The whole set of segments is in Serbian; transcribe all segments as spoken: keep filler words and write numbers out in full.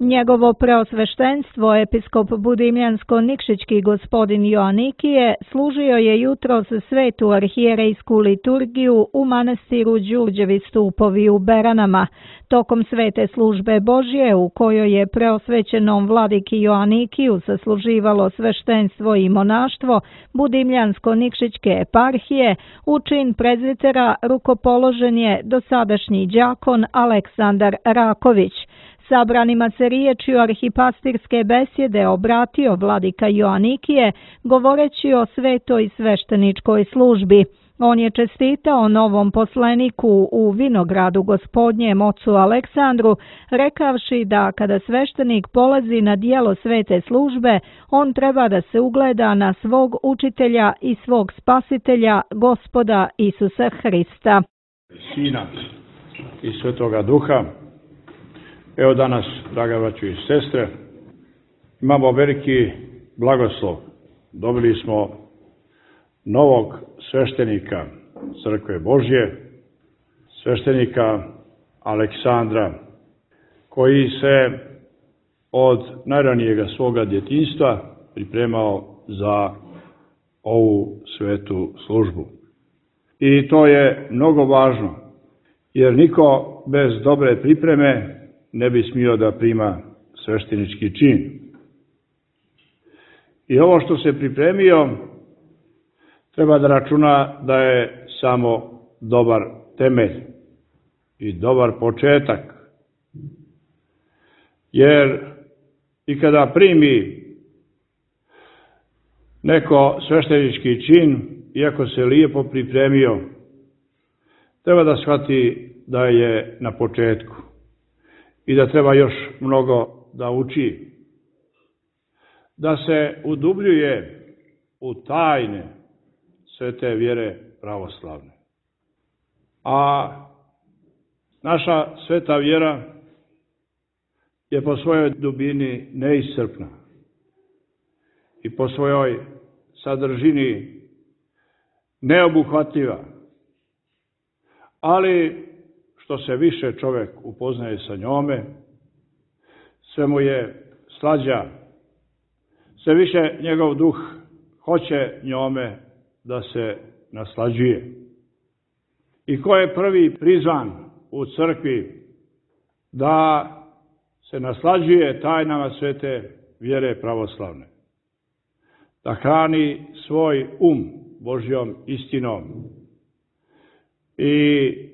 Njegovo preosveštenstvo, episkop Budimljansko-Nikšićki gospodin Joanikije, služio je jutros svetu arhijerejsku liturgiju u manastiru Đurđevi stupovi u Beranama. Tokom svete službe Božje, u kojoj je preosvećenom vladiki Joanikiju sasluživalo sveštenstvo i monaštvo Budimljansko-Nikšićke eparhije, u čin prezbitera rukopoložen je dosadašnji đakon Aleksandar Raković. Sabranima se riječju arhipastirske besjede obratio vladika Joanikije, govoreći o svetoj svešteničkoj službi. On je čestitao novom poslaniku u vinogradu Gospodnjem ocu Aleksandru, rekavši da kada sveštenik polazi na dijelo svete službe, on treba da se ugleda na svog učitelja i svog spasitelja, Gospoda Isusa Hrista. Sina i Svetoga Duha. Evo danas, draga braćo i sestre, imamo veliki blagoslov. Dobili smo novog sveštenika Crkve Božje, sveštenika Aleksandra, koji se od najranijega svoga djetinjstva pripremao za ovu svetu službu. I to je mnogo važno, jer niko bez dobre pripreme ne bi smio da prima sveštenički čin. I ovo što se pripremio, treba da računa da je samo dobar temelj i dobar početak. Jer i kada primi neko sveštenički čin, iako se lijepo pripremio, treba da shvati da je na početku i da treba još mnogo da uči, da se udubljuje u tajne svete vjere pravoslavne. A naša sveta vjera je po svojoj dubini neiscrpna i po svojoj sadržini neobuhvatljiva. Ali što se više čovjek upoznaje sa njome, sve mu je slađa, sve više njegov duh hoće njome da se naslađuje. I ko je prvi prizvan u crkvi da se naslađuje tajnama svete vjere pravoslavne, da hrani svoj um Božjom istinom i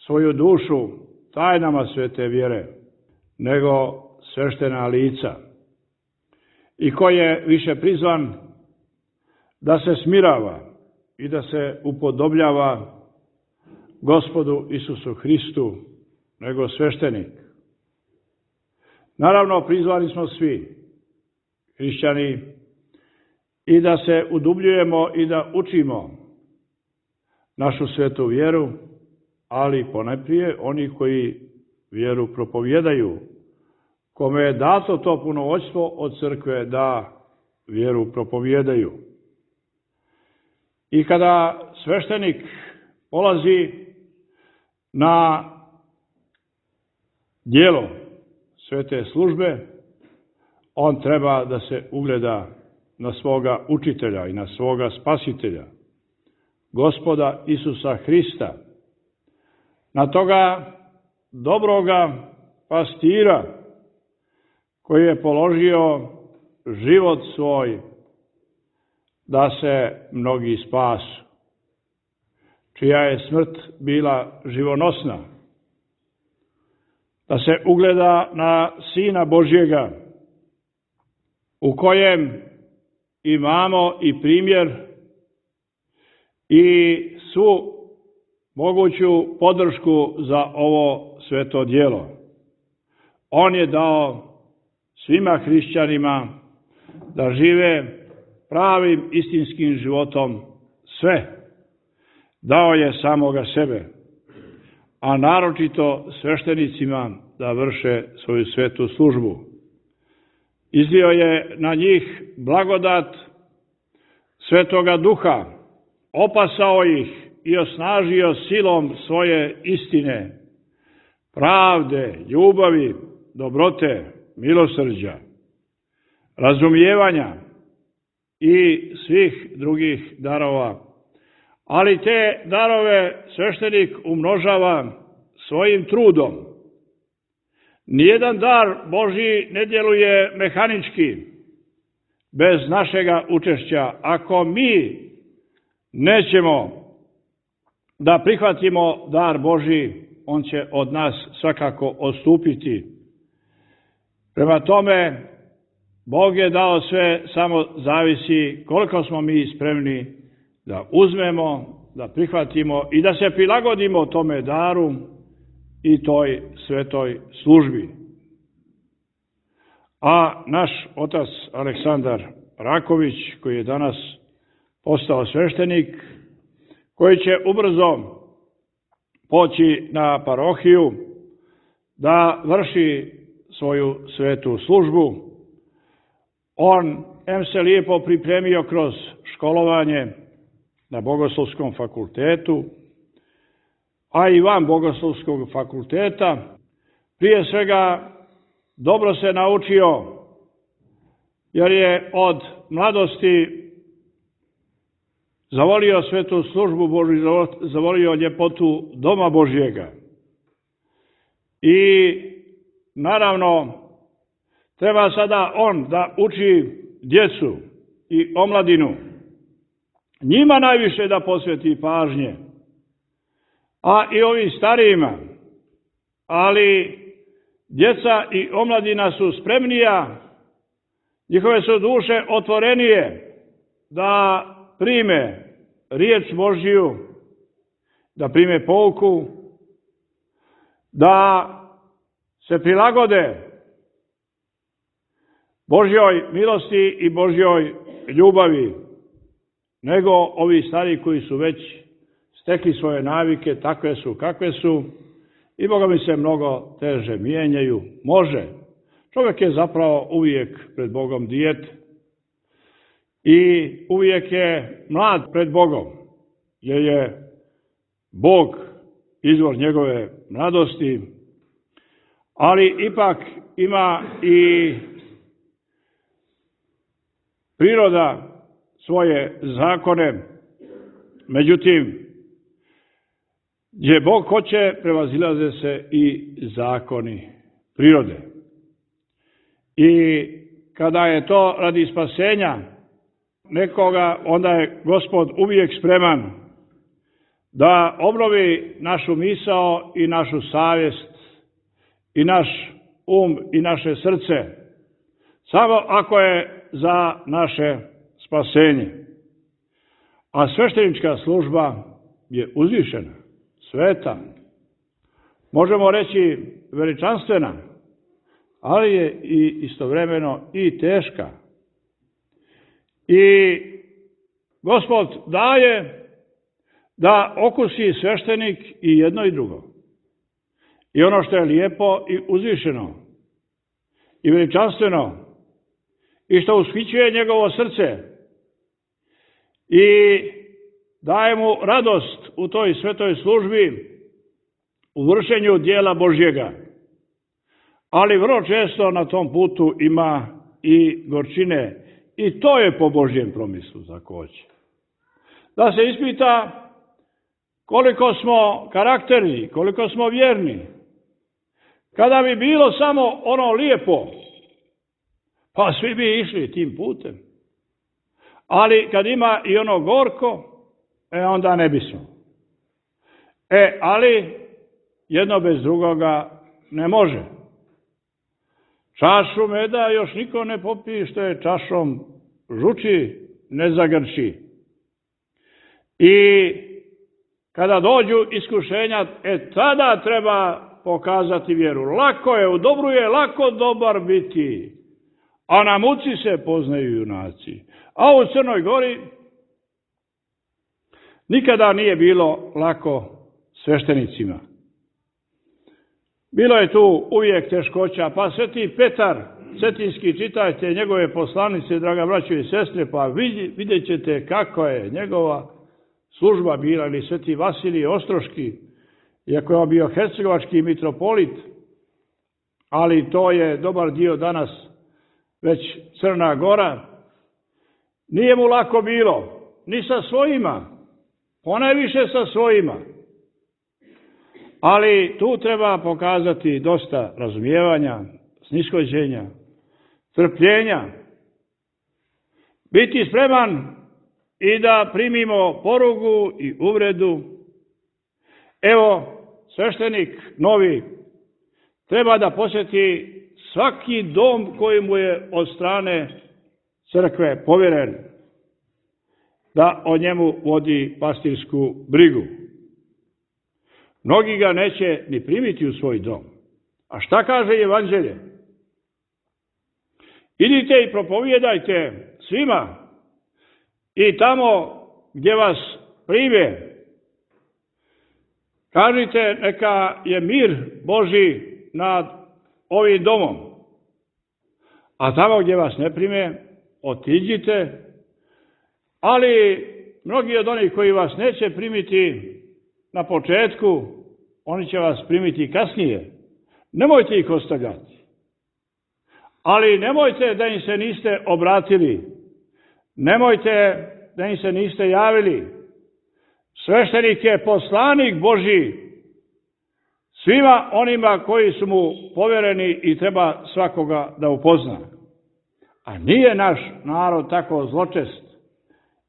svoju dušu tajnama svete vjere, nego sveštena lica. I ko je više prizvan da se smirava i da se upodobljava Gospodu Isusu Hristu, nego sveštenik. Naravno, prizvani smo svi hrišćani i da se udubljujemo i da učimo našu svetu vjeru, ali ponajprije oni koji vjeru propovjedaju, kome je dato to punomoćstvo od crkve da vjeru propovjedaju. I kada sveštenik polazi na djelo svete službe, on treba da se ugleda na svoga učitelja i na svoga spasitelja, Gospoda Isusa Hrista, na toga dobroga pastira koji je položio život svoj da se mnogi spasu, čija je smrt bila živonosna, da se ugleda na Sina Božjega, u kojem imamo i primjer i svu moguću podršku za ovo sveto djelo. On je dao svima hrišćanima da žive pravim istinskim životom sve. Dao je samoga sebe, a naročito sveštenicima da vrše svoju svetu službu. Izlio je na njih blagodat Svetoga Duha, opasao ih i osnažio silom svoje istine, pravde, ljubavi, dobrote, milosrđa, razumijevanja i svih drugih darova. Ali te darove sveštenik umnožava svojim trudom. Nijedan dar Božji ne djeluje mehanički, bez našega učešća. Ako mi nećemo da prihvatimo dar Božji, on će od nas svakako odstupiti. Prema tome, Bog je dao sve, samo zavisi koliko smo mi spremni da uzmemo, da prihvatimo i da se prilagodimo tome daru i toj svetoj službi. A naš otac Aleksandar Raković, koji je danas postao sveštenik, koji će ubrzo poći na parohiju da vrši svoju svetu službu, on em se lijepo pripremio kroz školovanje na Bogoslovskom fakultetu, a i van Bogoslovskog fakulteta. Prije svega dobro se naučio, jer je od mladosti zavolio svetu službu Božju, zavolio ljepotu doma Božjega. I naravno, treba sada on da uči djecu i omladinu, njima najviše da posveti pažnje, a i ovim starijima. Ali djeca i omladina su spremnija, njihove su duše otvorenije da prime riječ Božju, da prime pouku, da se prilagode Božjoj milosti i Božjoj ljubavi, nego ovi stari koji su već stekli svoje navike, takve su kakve su, i Boga mi se mnogo teže mijenjaju. Može. Čovjek je zapravo uvijek pred Bogom dijete i uvijek je mlad pred Bogom, jer je Bog izvor njegove mladosti, ali ipak ima i priroda svoje zakone. Međutim, gdje Bog hoće, prevazilaze se i zakoni prirode. I kada je to radi spasenja nekoga, onda je Gospod uvijek spreman da obnovi našu misao i našu savjest i naš um i naše srce, samo ako je za naše spasenje. A sveštenička služba je uzvišena, sveta, možemo reći veličanstvena, ali je i istovremeno i teška. I Gospod daje da okusi sveštenik i jedno i drugo. I ono što je lijepo i uzvišeno i veličanstveno i što ushićuje njegovo srce i daje mu radost u toj svetoj službi, u vršenju dijela Božjega. Ali vrlo često na tom putu ima i gorčine, i to je po Božjem promislu za ko hoće. Da se ispita koliko smo karakterni, koliko smo vjerni. Kada bi bilo samo ono lijepo, pa svi bi išli tim putem. Ali kad ima i ono gorko, e onda ne bismo. E, ali jedno bez drugoga ne može. Čašu meda još niko ne popije, što je čašom žuči, ne zagrči. I kada dođu iskušenja, e tada treba pokazati vjeru. Lako je, u dobru je lako dobar biti, a na muci se poznaju junaci. A u Crnoj Gori nikada nije bilo lako sveštenicima. Bilo je tu uvijek teškoća, pa Sveti Petar Cetinski, čitajte njegove poslanice, draga braćo i sestre, pa vidjet ćete kako je njegova služba bila, ili Sveti Vasilij Ostroški, iako je on bio hercegovački mitropolit, ali to je dobar dio danas već Crna Gora. Nije mu lako bilo, ni sa svojima, ponajviše sa svojima. Ali tu treba pokazati dosta razumijevanja, snishođenja, trpljenja, biti spreman i da primimo porugu i uvredu. Evo, sveštenik novi treba da posjeti svaki dom koji mu je od strane crkve povjeren, da o njemu vodi pastirsku brigu. Mnogi ga neće ni primiti u svoj dom. A šta kaže evanđelje? Idite i propovijedajte svima i tamo gdje vas prime, kažite neka je mir Božji nad ovim domom. A tamo gdje vas ne prime, otiđite, ali mnogi od onih koji vas neće primiti na početku, oni će vas primiti kasnije. Nemojte ih ostavljati. Ali nemojte da im se niste obratili. Nemojte da im se niste javili. Sveštenik je poslanik Božji svima onima koji su mu povjereni i treba svakoga da upozna. A nije naš narod tako zločest.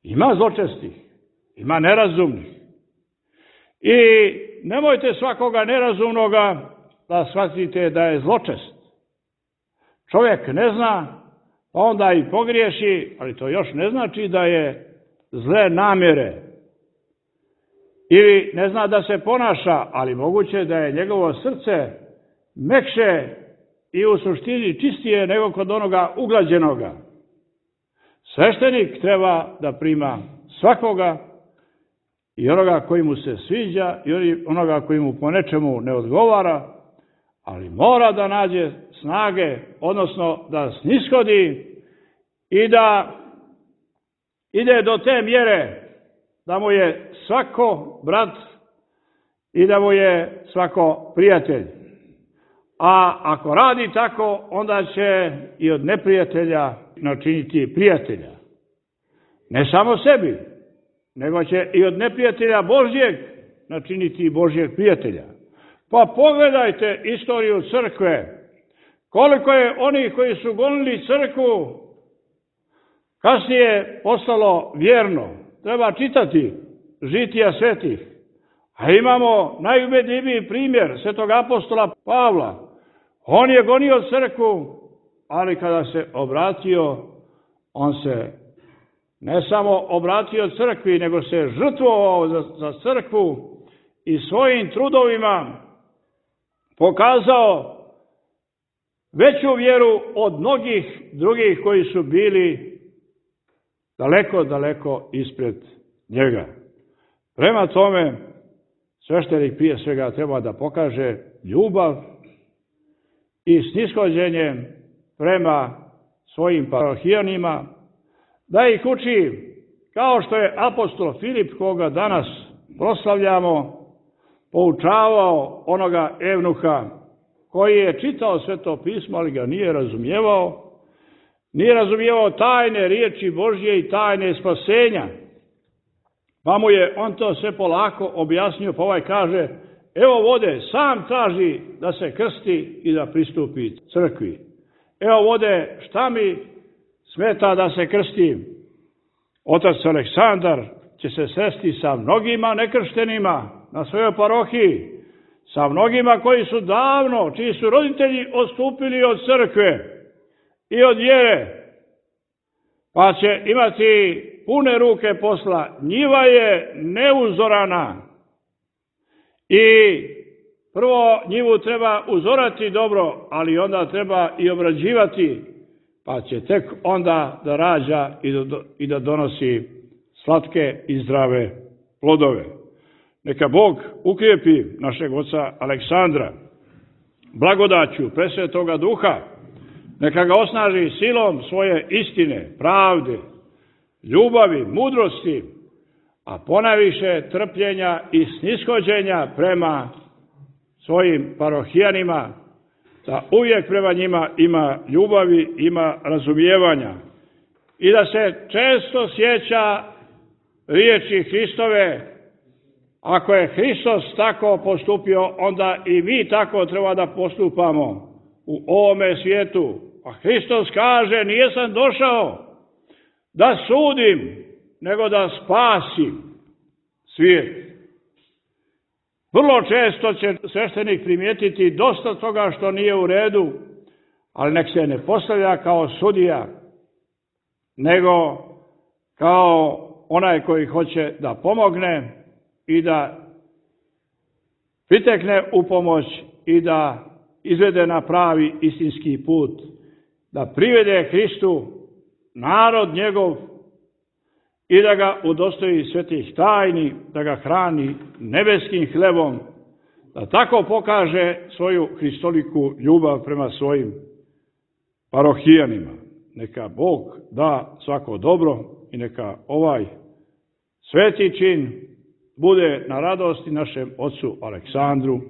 Ima zločestih, ima nerazumnih. I nemojte svakoga nerazumnoga da shvatite da je zločest. Čovjek ne zna, pa onda i pogriješi, ali to još ne znači da je zle namjere. Ili ne zna da se ponaša, ali moguće da je njegovo srce mekše i u suštini čistije nego kod onoga uglađenoga. Sveštenik treba da prima svakoga, i onoga koji mu se sviđa i onoga koji mu po nečemu ne odgovara, ali mora da nađe snage, odnosno da snishodi i da ide do te mjere da mu je svako brat i da mu je svako prijatelj. A ako radi tako, onda će i od neprijatelja načiniti prijatelja. Ne samo sebi, nego će i od neprijatelja Božjeg načiniti Božjeg prijatelja. Pa pogledajte istoriju crkve. Koliko je onih koji su gonili crkvu kasnije postalo vjerno. Treba čitati žitija svetih. A imamo najubedljiviji primjer svetog apostola Pavla. On je gonio crkvu, ali kada se obratio, on se ne samo obratio crkvi, nego se žrtvovao za, za crkvu i svojim trudovima pokazao veću vjeru od mnogih drugih koji su bili daleko, daleko ispred njega. Prema tome, sveštenik prije svega treba da pokaže ljubav i snishođenje prema svojim parohijanima, da ih uči kao što je apostol Filip, koga danas proslavljamo, poučavao onoga evnuha koji je čitao Sveto pismo, ali ga nije razumijevao, nije razumijevao tajne riječi Božje i tajne spasenja. Pa mu je on to sve polako objasnio, pa ovaj kaže, evo vode, sam traži da se krsti i da pristupi crkvi. Evo vode, šta mi smeta da se krstim? Otac Aleksandar će se sresti sa mnogima nekrštenima na svojoj parohiji, sa mnogima koji su davno, čiji su roditelji odstupili od crkve i od vjere, pa će imati pune ruke posla. Njiva je neuzorana i prvo njivu treba uzorati dobro, ali onda treba i obrađivati, pa će tek onda da rađa i da donosi slatke i zdrave plodove. Neka Bog ukrijepi našeg oca Aleksandra blagodaću presvetoga duha, neka ga osnaži silom svoje istine, pravde, ljubavi, mudrosti, a ponajviše trpljenja i snishođenja prema svojim parohijanima da uvijek prema njima ima ljubavi, ima razumijevanja i da se često sjeća riječi Hristove: ako je Hristos tako postupio, onda i mi tako treba da postupamo u ovome svijetu. A Hristos kaže: nijesam došao da sudim, nego da spasim svijet. Vrlo često će sveštenik primijetiti dosta toga što nije u redu, ali nek se ne postavlja kao sudija, nego kao onaj koji hoće da pomogne i da pritekne u pomoć i da izvede na pravi istinski put, da privede Hristu narod njegov i da ga udostoji svetih tajni, da ga hrani nebeskim hlebom, da tako pokaže svoju hristoliku ljubav prema svojim parohijanima. Neka Bog da svako dobro i neka ovaj sveti čin bude na radosti našem ocu Aleksandru,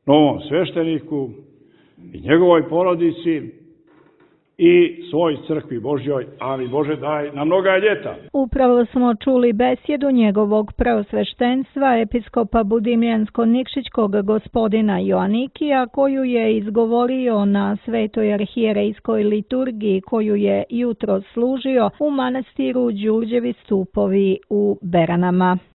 novom svešteniku i njegovoj porodici i svoj crkvi Božjoj, ali Bože daj na mnoga ljeta. Upravo smo čuli besjedu njegovog preosveštenstva, episkopa Budimljansko-Nikšićkog gospodina Joanikija, koju je izgovorio na svetoj arhijerejskoj liturgiji, koju je jutro služio u manastiru Đurđevi stupovi u Beranama.